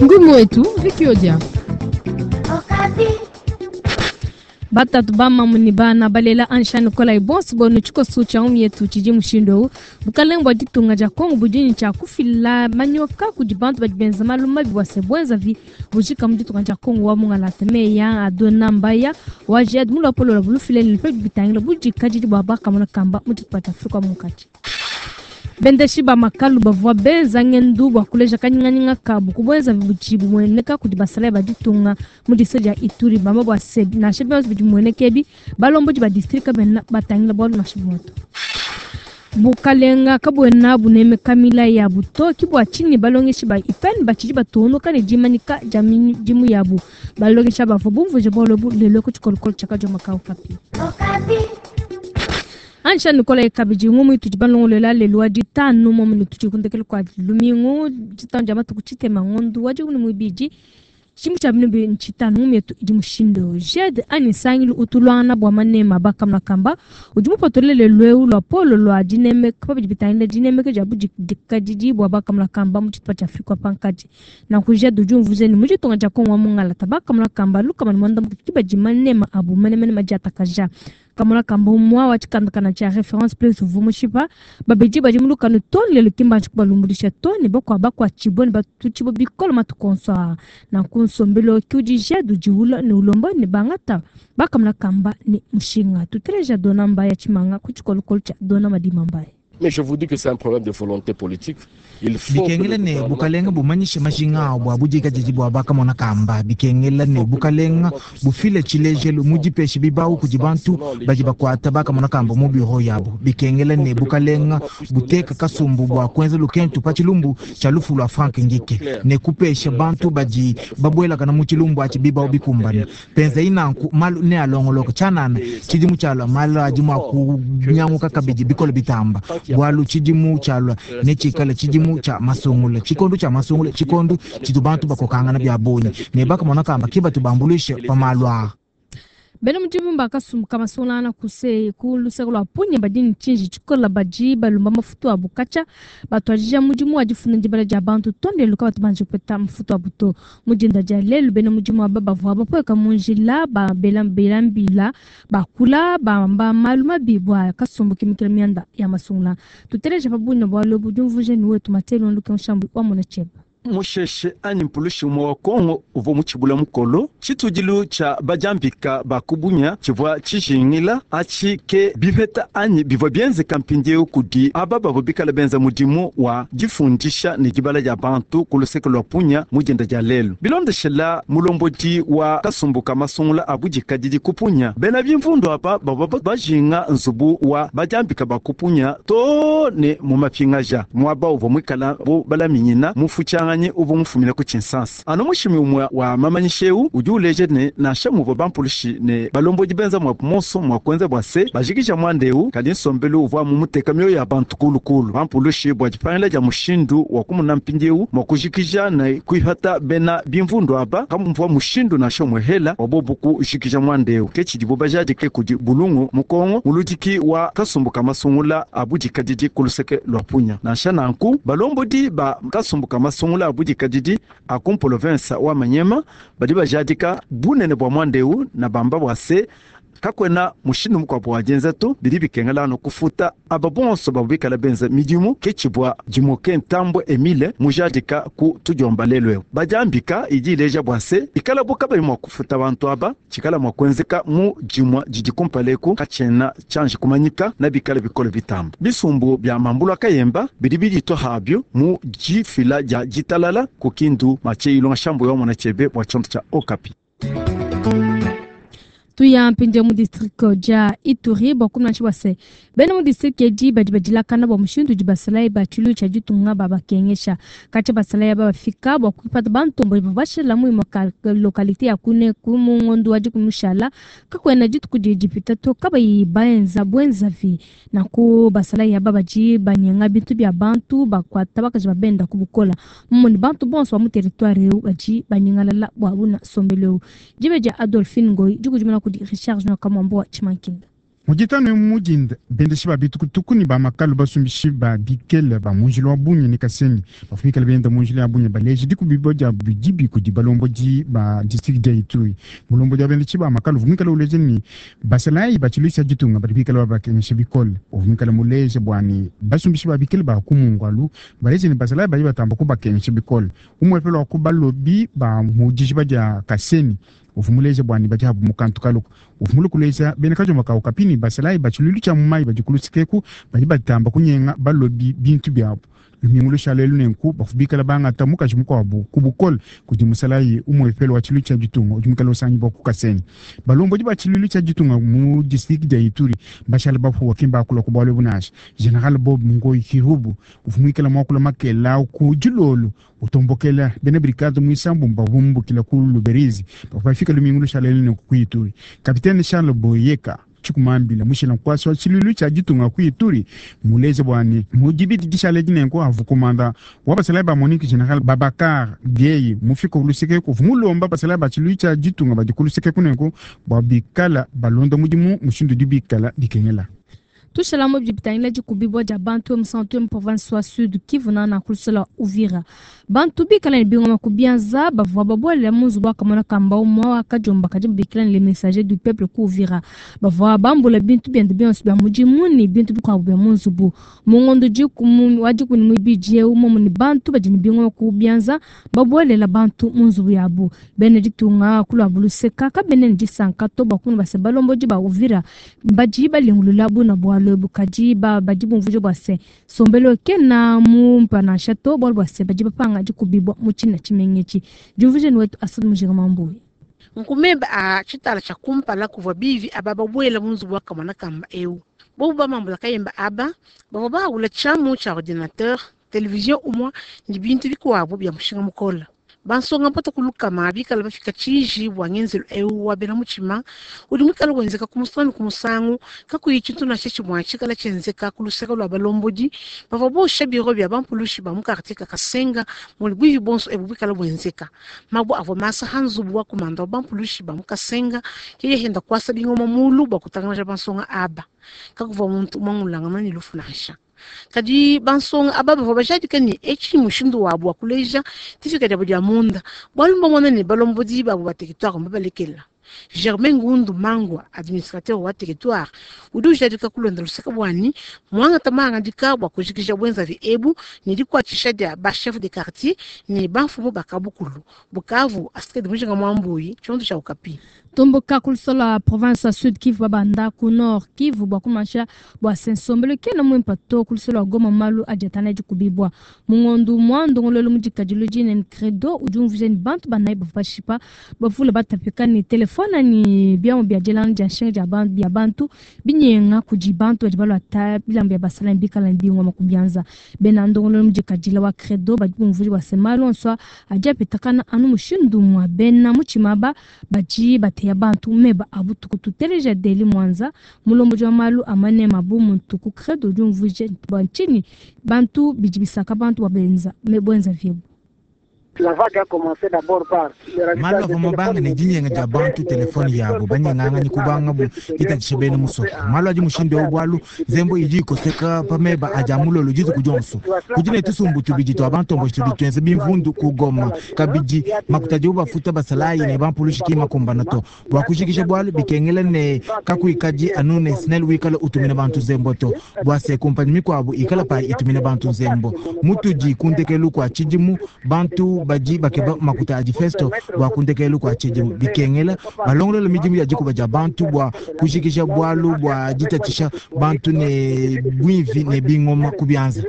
Ngumu wetu Vicky Odia. Batatu bamamu ne bana balela ansha nikolayi bonso bonu tshikoso tshia ngumi yetu tshidi mushindu eu. Bukalenge bua ditunga dia Kongo budi ne tshia kufila manyoka kudi bantu badi benza malu mabi bua se buenzavi bujika mu ditunga dia Kongo wa mungalata. Meya Adona Mbaya wa JED mu luapolo lua bulufile ne pa bidi bitangila budikadidi bua bakamona kamba mu tshitupa tshia Afrika wa munkatshi. Bendeshi ba makalu bavua benza ngendu bua kuleja kanyinganyinga kabu ku buenzavi budi bumueneka kudi basalayi ba ditunga mu distrike dia Ituri, bamba bua se, nansha bionso bidi bimueneka ebi, balombodi ba distrike kabena batangila bualu nansha bumue to. Bukalenga kabuena bunemeka milayi yabu to, ke bua tshinyi balongeshi ba IPN batshidi batungunuka ne dimanyika dia midimu yabu. Balongeshi aba bavua bumvuije bualu ebu lelu ku tshikolokolo tshia Kadioma ka Okapi. Ansha nukolayi kabidi ngumu itudi balongolola lelu wa ditanu muomu ne tudi ku ndekelu kua lumingu ditanu dia matuku tshitema ngondu wa dikumi ne muibidi tshidimu tshia binu bibidi ne tshitanu. Ngumu yetu idi mushindu eu: JED anyi nsangilu utu uluangana bua manema a bakamuna kamba udi mupatule lelu eu luapolo lua dinemeka pa bidi bitangila dinemeka dia budikadidi bua bakamuna kamba mu tshitupa tshia Afrika wa pankatshi. Nanku JED udi umvuija ne mu ditunga dia Kongo wa mungalata bakamuna kamba 160 ke badi manema abu menemene madiatakaja. Kamona kamba umua wa tshikandakanda tshia Reference Plus uvua mushipa babidi badi mu lukanu too ne lelu ki mbanji kubalumbuluisha to, ne bakuabu bakuatshibue ne batutshibue bikole matuku onso aa. Nanku nsombelu ke udi JED udiwula ne ulomba ne bangata bakamona kamba ne mushinga. Tuteleja Dona Mbaya Tshimanga ku tshikolokolo tshia Dona Madima Mbaya. Mais je vous dis que c'est un problème de volonté politique. Il faut que le Bikengela ne gouvernement bukalenga bumanyishe soit majinga clair abu dans a cette budikadidi bua bakamona kamba. Bikengela Il ne faut que le bukalenga gouvernement puisse bufile tshilejelu mu dipesha bibawu en kudi bantu sanctionnant les badi gens qui bakuata sont bakamona kamba mu dans biro les yabu. bureaux. Bikengela Il faut ne que le bukalenga gouvernement puisse donner buteka un signal kasumbu bua fort kuenza à lukentu pa l'autorité tshilumbu tshia lufu lua Frank Ngike claire ne kupesha de bantu faire badi passer la réforme babuelakana mu tshilumbu atshi bibawu sanitaire, bikumbane. matérielle, Penza inanku malu ne alongoloka tshianana et ça tshidimu tshialua malu adi mua fort que kunyanguka cette kabidi situation bikole bitamba. tant qu'il y a pas Bualu de tshidimu tshialua la ne situation tshikale risque tshidimu d'être tshia masungula, tshikondo tshia masungula, tshikondo tshitu bantu bakokangana bia bungi ne bakamona kamba ke batu bambuluishe pa malu aa. Bena mudimu bakasumbuka masungulangana kuse ku luseke lua Punya badi ne tshinji tshikola badi balomba mafutu abu katshia batuadija mudimu wa difunda dibala dia bantu to ne lelu kabatu banji kupeta mafutu abu to. Mu dinda dia lelu bena mudimu aba bavua bapueka mu njila babela bela mbila bakula bamba malu mabi bua kasumbu kimikila mianda ya masungula. Tuteleja pa bunya bualu ebu diumvuija ne wetu Matelo Nluke Nshambu wa mona tshieba. Musheshe anyi mpulushi umue wa Kongo uvua mutshibula mukolo tshitudilu tshia badiambika ba kubunya tshivua tshijingila atshi ke bipeta anyi bivua bienzeka mpindieu kudi aba bavua bikala benza mudimu wa difundisha ne dibala dia bantu ku luseke lua Punya mu dinda dia lelu. Bilondeshela mulombodi wa kasumbu ka masungula a budikadidi ku Punya, bena bimvundu aba bavua bajinga nzubu wa badiambika ba ku Punya too ne mu mapingaja muaba uvua muikala bu balaminyina mufutshianganyi uvua mufumine ku Tshinsansa. Anu mushimi umue wa mamanyisha eu udi uleja ne nansha muvua bampulushi ne balombodi benza muabu monso mua kuenza bua se bajikija muanda eu, kadi nsombelu uvua mumuteka mioyo ya bantu kulukulu. Bampulushi bua dipangila dia mushindu wa kumuna mpindieu mua kujikija ne kuipata bena bimvundu aba kamuvua mushindu nansha umue hela wa bobu kujikija muanda eu. Ke tshidibu bajadike kudi Bulungu mu Kongo, muludiki wa kasumbu ka masungula a budikadidi ku luseke lua Punya. Nansha nanku balombodi ba kasumbu ka masungula a budikadidi a ku province wa Manyema badi bajadika bunene bua muanda eu na bamba bua se kakuena mushindu mukuabu wa dienza to, bidi bikengela anu kufuta aba bonso bavua bikala benza midimu. Ke tshivua Dimoke Ntambwe Emile mujadika ku tudiomba lelu eu. Badiambika idi ileja bua se ikala bu kabayi mua kufuta bantu aba, tshikala mua kuenzeka mu dimua didi kumpala eku katshiena tshianji kumanyika na bikala bikole bitamba. Bisumbu bia mambulu a Kayemba bidi biditua habio mu difila dia ditalala ku Kindu. Mathieu Ilonga Shambu wa mona tshiebe bua tshiondo tshia Okapi. Tuya mpindieu mu district dia Ituri bua kumona bua se bena mu district edi badi badilakana bua mushindu udi basalayi ba tshiluilu tshia ditunga babakengesha. Katshia basalayi aba bafika bua kuipata bantombo bavua bashila mu imue localité ya kune ku mu ngondo wa dikumi mushala, kakuena dituku didi dipita to kabayi baenza buenzavi. Nanku basalayi aba badi banyenga bintu bia bantu, bakuata bakaji babenda ku bukola. Mumuni bantu bonso ba mu territoire eu badi banyingalala bua buna nsombelu eu. Dibe dia Adolphine Ngoyi dikudimuna kudi Richard Junior Kamwambo wa Tshimankinda. Mujitano mujinda bendeshi ba bitukutuku ni ba makalu basumbishi ba bikele ba munjila wa Bunia ni Kasenyi bafumikala benda munjila ya Bunia baleji dikubibo dia bidibi kudi balombodi ba district dia Ituri. Mulombodi wa bendeshi ba makalu vumikala uleje ni basalayi bachiluisa ditunga badi bikala babakengesha bikole uvumikala muleje bwani basumbishi ba bikele ba kumungwalu baleje ni basalayi badi batamba kubakengesha bikole umwepelo wa kubalobi ba mujijiba dia Kasenyi uvumuleje bwani badi habu mukantu kaluko uvumule kuleza bene kajomba kawo kapini basalayi bachilulu cha mumai bajikulutsikeku badi batamba kunyenga balobi bintu byabo lumingu lushala lunenku bafubikala bangata mukaji mukwabo kubukole kudi musalayi umwepelo wa chilu cha ditunga udi mukala usangi bwa kukasenyi balombodi ba chilulu cha ditunga mu district dia Ituri bashala bafuwa kimba akula ku bwalo bunasha General Bob Ngoyi Kirubu uvumwikala mwakula makela ku dilolo utombokela bene brigade mwisambu mbavumbukila ku Luberizi bafika lumingu lushala lunenku ku Ituri. Kapitene Charles Boyeka chikumambila mushila nkwasi wa chilulu cha ditunga ku Ituri muleze bwani mudibidi dishale dinenko avukumanda wa basalayi ba Monique General Babakar Dieye mufika uluseke kuvu mulomba basalayi ba chilulu cha ditunga badi kuluseke kunenko bwa bikala balonda mudimu mushindu dibikala dikengela. Tushala mo bibitangila dikubibwa dia bantu musantu mu province wa Sud Kivu na na kulusela Uvira. Bantu bikala ni bingoma kubianza bavua babwela munzu bwa kamona kamba umwa wakajomba kadi bikala ni les messagers du peuple ku Uvira. Bavua bambula bintu byende byonso bya mudimu ni bintu bikwabo bya munzu bu. Mungondo jikumu wajiku ni mwibije umo ni bantu badi ni bingoma kubianza babwelela bantu munzu yabu. Bene ditunga kulwa buluseka kabene disanka to bakunu base balomboji ba Uvira baji balingulula buna bwalo bukaji ba baji bumvuje bwase sombelo kena mu mpana shato bwalo bwase baji bapanga jikubibwa muchina chimengechi jumvuje ni wetu asad mujira mambuye. Nkumemba a chitala cha kumpala kuvwa bivi aba babwela munzu bwa kamwana kamba eu bobu bamambula kayemba aba bavwa bahawula chamu cha ordinateur television umwa ni bintu bikuwabo bya mushinga mukola bansonga mpata kulukama bikala bafika chiji bwa ngenzelo eu wabena muchima uli mwikala wenzeka kumusanu kumusangu kakuyi chintu na chechi mwa chikala chenzeka kuluseka lwa balombodi bava bosha biro bya bampulushi ba mukartie Kasenga muli bwivi bonso ebu bikala bwenzeka mabo avo masa hanzubu wa kumanda wa bampulushi ba mukasenga keye henda kwasa bingoma mulu bwa kutangana bansonga aba kakuva muntu mwangulanga ni lufu nansha kadi bansonga aba bavua bajadika ni eci mushindu wabo wa kuleja tifika diabo dia munda bwalu mbamona ne balombodi babo ba territoire mbabalekela. Germain Ngundu Mangwa administrateur wa territoire udi ujadika kulonda luseka bwani mwanga tamanga bwa kujikija bwenza vi ebu ni dikwatisha dia ba chef de quartier ni bamfumu bakabukulu Bukavu asikedi mujinga mwambuyi chondo cha Okapi. Tomboka kulusala province ya Sud Kivu babanda ku Nord Kivu bwa kumasha bwa sensombelo kena mwimpa to kulusala Goma malu ajatana jikubibwa mungondu mwando ngololo mujikajilo jine credo ujumvuje ni bantu banai bafashipa bavula batapika ni telefone ni bya bya jelana ja shenga ja bantu bya bantu binyenga kuji bantu bajibalo ata bilambo ya basala bikala bingwa makubyanza bena ndongolo mujikajila wa credo bajumvuje bwa semalo nswa ajapitakana anu mushindu mwa bena muchimaba baji bate ya bantu meba abutuku tuteleja deli mwanza mulombo jwa malu amane mabumu ntuku credo jumvuje banchini bantu bijibisaka bantu babenza mebwenza vyebu. Malu avua mabanga ne dinyenga dia bantu telefone yabo banyenganga ni kubanga bu itatisha bene musoko malu adi mushindu wa bwalu nzembo idi ikoseka pameba aja mulolo dituku dionso kudi ne tusumbu tubidi twa bantombo tudi tuenze bimvundu kugoma kabidi makuta dibu bafuta basalayi ne bampulushi ki makumbana to bua kushikisha bwalu bikengela ne kakuikadi anu ne snel wikala utumina bantu nzembo to bua se kumpanyi mikuabu ikala pa itumina bantu nzembo mutudi kundekelu kua tshidimu bantu badi bakeba makuta adi festo bua kundekelu kua tshidimu bikengela balongolola midimu ya dikuba dia bantu bua kushikisha bwalu bua ditatisha bantu ne bwivi ne bingoma kubyanza.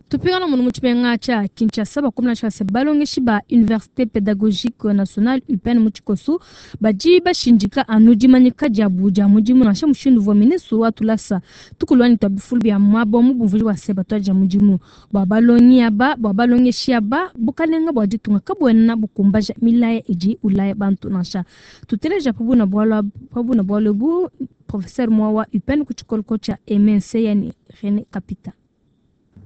Tupingana munu muchipenga cha Kinshasa bakomna cha balongeshi ba Université Pédagogique Nationale UPN muchikosu baji bashinjika anu dimanyika dia buja mudimu nansha mushindu vwa ministre wa tulasa tukulwani twa bifulu bya mwabo mu bumvuli wa seba twa dia mudimu bwa balongi aba bwa balongeshi aba bukalenga bwa ditunga kabwena bukumbaja milaya idi ulaya bantu nansha tuteleja pabuna bwalo pabuna bwalo bu professeur mwa wa UPN kuchikoloko cha MNC yani René Kapita.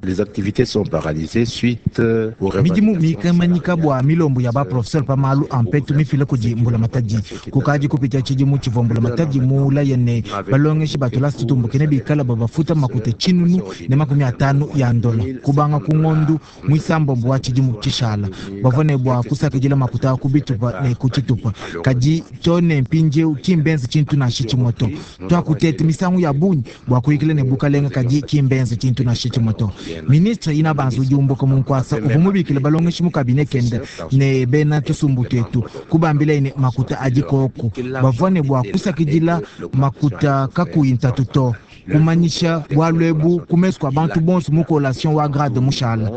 Les activités sont paralysées suite aux Midimu mikamanyika bua milombo ya baprofesseur pa malu a mpetu mifila kudi mbulamatadi. Kukadi kupita tshidimu tshivua mbulamatadi mulaye ne balongeshi ba tulasa tutumbuke ne bikala babafuta makuta 550 ya ndola kubanga ku ngondu muisambombo wa tshidimu tshishala. Bavua ne bua kusakidila makuta ku bitupa ne ku tshitupa, kadi to ne mpindieu kimbenze tshintu nansha tshimue to. Tuakuteta misangu ya bungi bua kuyikila ne bukalenga, kadi kimbenze tshintu nansha tshimue to. Ministre ina banza udi umbuka mu nkuasa uvua mubikile balongeshi mu kabine kende ne bena tusumbu twetu, kubambila ne makuta adi koku. Bavua ne bua kusakidila makuta kakuyi ntatu to. Kumanyisha bualu ebu ku mesu kua bantu bonso mu collation wa grade mushala.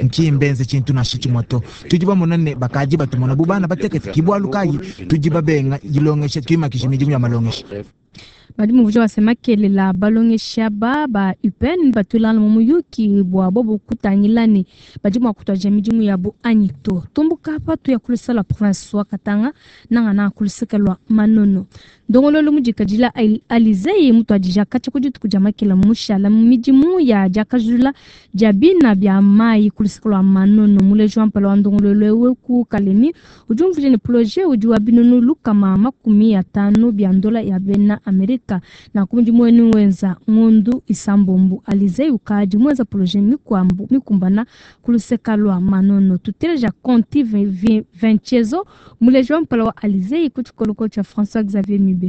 Nkimbenze tshintu nansha tshimue to. Tudi bamona ne bakadi batumona bu bana batekete, ki bualu kayi tudi babenga dilongesha, tuimakisha midimu ya malongesha. Badi muvuja basema kelela balongesha ba ba UPN batulana mu muyuki bua bobo kutangila ne badi mua kutuadija midimu yabo anyi to. Tumbuka apa tuya kuluseka lua province wa Katanga nanga na kuluseka lua Manono. Ndongololo mudikadila Alizei mutuadija katshia ku dituku dia makela mushala mu midimu ya diakajula dia bina bia mayi kuluseka lua Manono. Muleji wa mpala wa ndongololo ewu ku Kalemi udi umvuija ne projet udi wa 550 bia ndola ya bena Amerika. Na ku mudimu wenu wenza ngondu isambombo Alizei ukadi mwenza projet mikwambu mikumbana kuluseka lua Manono. Tuteleja Conti Vincenzo muleji wa mpala wa Alizei ku tshikoloko tshia François Xavier Mibe.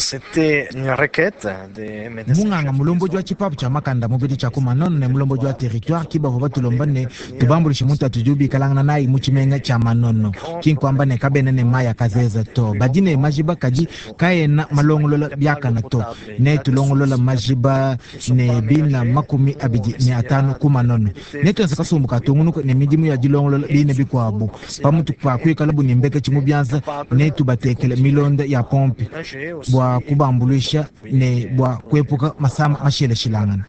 C'était une requête des médecins. Munganga mulombodi wa tshipapu tshia makanda mubidi tshia ku Manono ne mulombodi wa territoire ki bavua batulomba ne tubambulishe muntu atudi ubikalangana nayi mu tshimenga tshia Manono. Ki nkuamba ne kabena ne mayi akazeza to, badi ne majiba kadi kaena malongolola biakana to. Ne tulongolola majiba ne bina 25 ku Manono. Ne tuenza kasumbu katungunuka ne midimu ya dilongolola bine bikuabu. Pamutu pa kuikala bu ne mbeke tshimu bianza ne tubatekele milonda ya pompe bua kubambuluisha ne bua kuepuka masama masheleshilangana.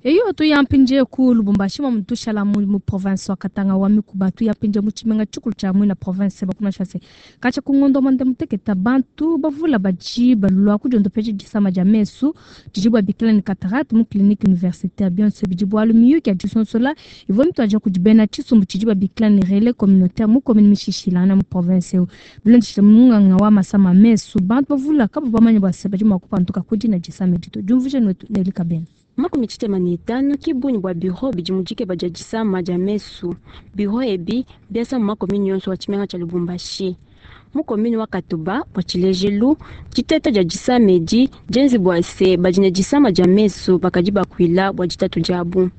Eyo tuyampinje ku Lubumbashi mwa mutushala mu province wa Katanga wa Mikuba, tuyampinje mu tshimenga tshikulu tshia mwina province bakumasha se katshia ku ngondo mwanda muteketa bantu bavula baji balwa kudiondopeja disama dia mesu didi babikila ne cataracte mu clinique universitaire bionso bidi bualu miyuki ya disonsola ivua mituadija kudi bena tshisumbu tshidi babikila ne relais communautaire mu commune mishishilana mu province eu. Bilondeshile munganga wa masama mesu bantu bavula kabo bamanya bua se badi mua kupanduka ku dina disama edi to. Diumvuija netu Nelly Kabena. 65 ki bungi bua biro bidi mu dikeba dia disama dia mesu. Biro ebi biasa mu makomini yonso wa tshimenga tshia Lubumbashi. Mu komini wa Katuba bua tshilejelu, diteta dia disama edi dienze bua se badi ne disama dia mesu bakadi bakuila bua ditatu diabu.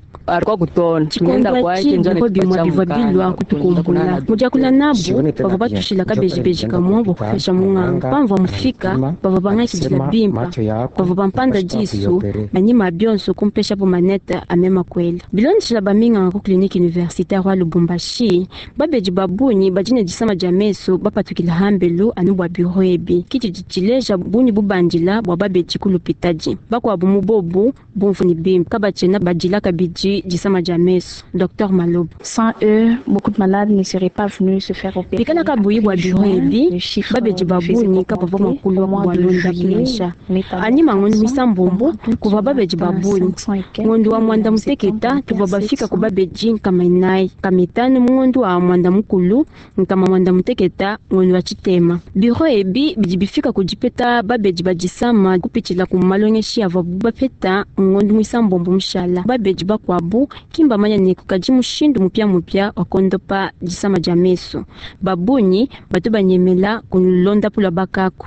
Tshikondo atshi biro bimue bivua bilua kutukumbula. Mu diakula nabu bavua batushila kabejibeji kamue bua kupesha munganga. Pamvua mufika bavua bangakidila bimpa, bavua bampanda disu anyima bionso kumpesha bu manete amema kwela. Bilondeshila baminganga ku clinique universitaire wa Lubumbashi, babedi babunyi badi ne disama dia mesu bapatukila hambelu anu bua biro ebi. Kiti tshileja bunyi bubandila bua babedi ku lupitadi. Bakuabu mu bobu bumvu ne bimpe kabatshiena badila kabidi disama dia mesu. Dr Malobo. Sans eux, beaucoup de malades ne seraient pas venus se faire opérer. Bikala kabuyi bua biro ebi, babedi babunyi kabavua mua kulua bua londa kunansha. Anyima ngondo misambombo kuvua babedi babunyi. Ngondo wa mwanda muteketa tuvua bafika ku babedi 400, 500 mu ngondo wa mwanda mukulu, 96 ngondo wa tshitema. Biro ebi bidi bifika ku dipeta babedi badisama kupitshila ku malongeshi avuabu bapeta ngondo muisambombo mushala. Babedi bakuabu kimba manya ne kukadi mushindu mupia mupia wa kondopa disama dia mesu. Babunyi batu banyemela kulonda pula bakaku.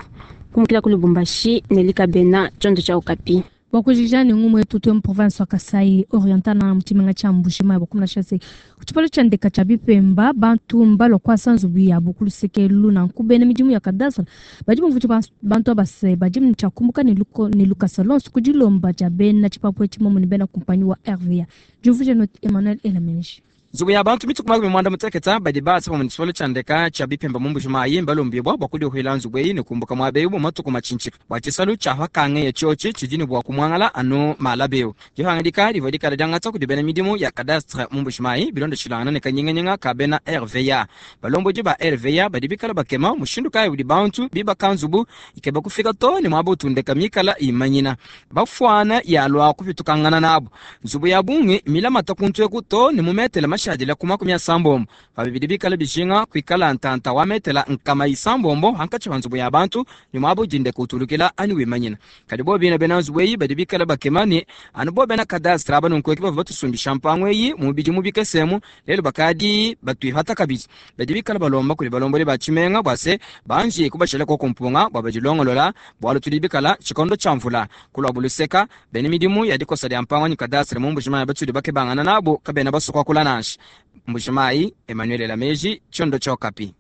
Kumukila ku Lubumbashi, Nelly Kabena, tshiondo tshia Okapi. Wakujija ne ngumu yetu tuwe mu province wa Kasai Oriental na mutshimenga tshia Mbuji-Mayi bakumuna shase ku tshipalo tshia ndeka tshia bipemba bantu mbalua kuasa nzubu yabu ku luseke luna nkubena midimu ya kadastre badi bumvuija bantu abase badi ne tshia kumbuka ne ne lukasa lonso ku dilomba dia bena tshipapu etshi momu ne bena kumpanyi wa RVA. Diumvuija note Emmanuel Elamenji. Nzubu ya bantu mituku makumi mwanda muteketa badi baasa pamwe ne tshisolo tshia ndeka tshia bipemba mu Mbuji-Mayi mbalombibwa bua kudiuhila nzubu eyi ne kumbuka muaba eu mu matuku matshintshika bua tshisalu tshia pakangeya tshiotshi tshidi ne bua kumuangala anu malaba eu. Dipangadika divua dikala diangata kudi bena midimu ya cadastre mu Mbuji-Mayi bilondeshilangana ne kanyinganyinga ka bena RVA. Balombodi ba RVA badi bikala bakema mushindu kayi udi bantu bibaka nzubu ikeba kufika too ne muaba utu ndeka mikala imanyina bafuana yalua kupitukangana nabu. Nzubu ya bungi milamata kuntu eku too ne mu metele mashadile ku 30, pabi bidi bikala bijinga kuikala ntanta wa metele 600 hankatshi pa nzubu ya bantu ne muaba udi ndeka utulukila anyi wimanyina. Kadi bobo bine bena nzubu eyi badi bikala bakema ne, anu bobo bena cadastre aba nunku ke bavua batusumbisha mpangu eyi mu bidimu bikese emu, lelu bakadi batuipata kabidi. Badi bikala balomba kudi balombodi ba tshimenga bua se, banji kubashila koku mpunga bua badilongolola, bualu tudi bikala tshikondo tshia mvula. Ku luabu luseka, bena midimu ya dikosa dia mpangu anyi cadastre mu Mbuji-Mayi batudi bakebangana nabu kabena basue kuakula nansha. Mbuji-Mayi, Emmanuel Elameji, Tshiondo tshia Okapi.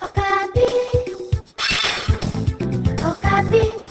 Okapi. Okapi.